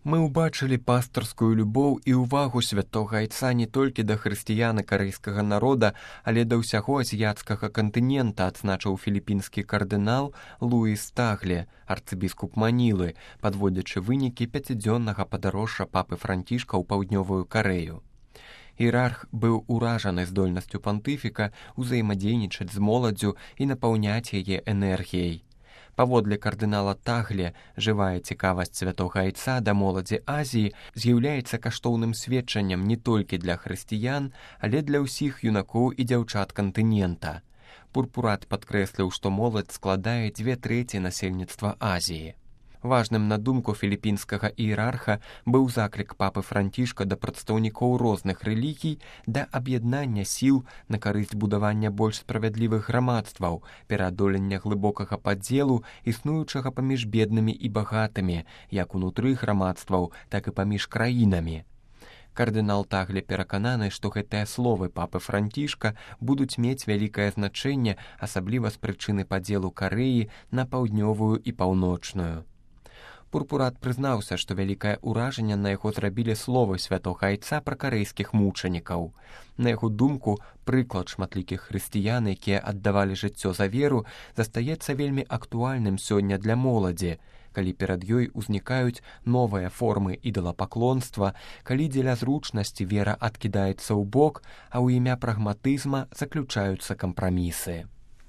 Мы ўбачылі пастырскую любоў і ўвагу святога айца не толькі да хрысціян і карэйскага народа, але да ўсяго азіяцкага кантынента, адзначыў філіпінскі кардынал Луіс Тагле, арцыбіскуп Манілы, падводзячы вынікі 5-дзённага падарожжа папы Францішка ў паўднёвую Карэю. Іерарх быў уражаны здольнасцю пантыфіка ўзаемадзейнічаць з моладдзю і напаўняць яе энергіяй. Паводле кардынала Тагле, жывая цікавасць святога айца да моладзі Азіі з'яўляецца каштоўным сведчаннем не толькі для хрысціян, але для ўсіх юнакоў і дзяўчат кантынента. Пурпурат падкрэсліў, што моладзь складае 2/3 насельніцтва Азіі. Важным на думку філіпінскага іерарха быў заклік папы Францішка да прадстаўнікоў розных рэлігій да аб'яднання сіл на карысць будавання больш справядлівых грамадстваў, пераадолення глыбокага падзелу, існуючага паміж беднымі і багатымі, як унутры грамадстваў, так і паміж краінамі. Кардынал Тагле перакананы, што гэтыя словы папы Францішка будуць мець вялікае значэнне, асабліва з прычыны падзелу Карэі на паўднёвую і паўночную. Пурпурат прызнаўся, што вялікае ўражанне на яго зрабілі словы святога айца пра карэйскіх мучанікаў. На яго думку, прыклад шматлікіх хрысціян, якія аддавалі жыццё за веру, застаецца вельмі актуальным сёння для моладзі, калі перад ёй узнікаюць новыя формы ідалапаклонства, калі дзеля зручнасці вера адкідаецца ў бок, а ў імя прагматызма заключаюцца кампрамісы.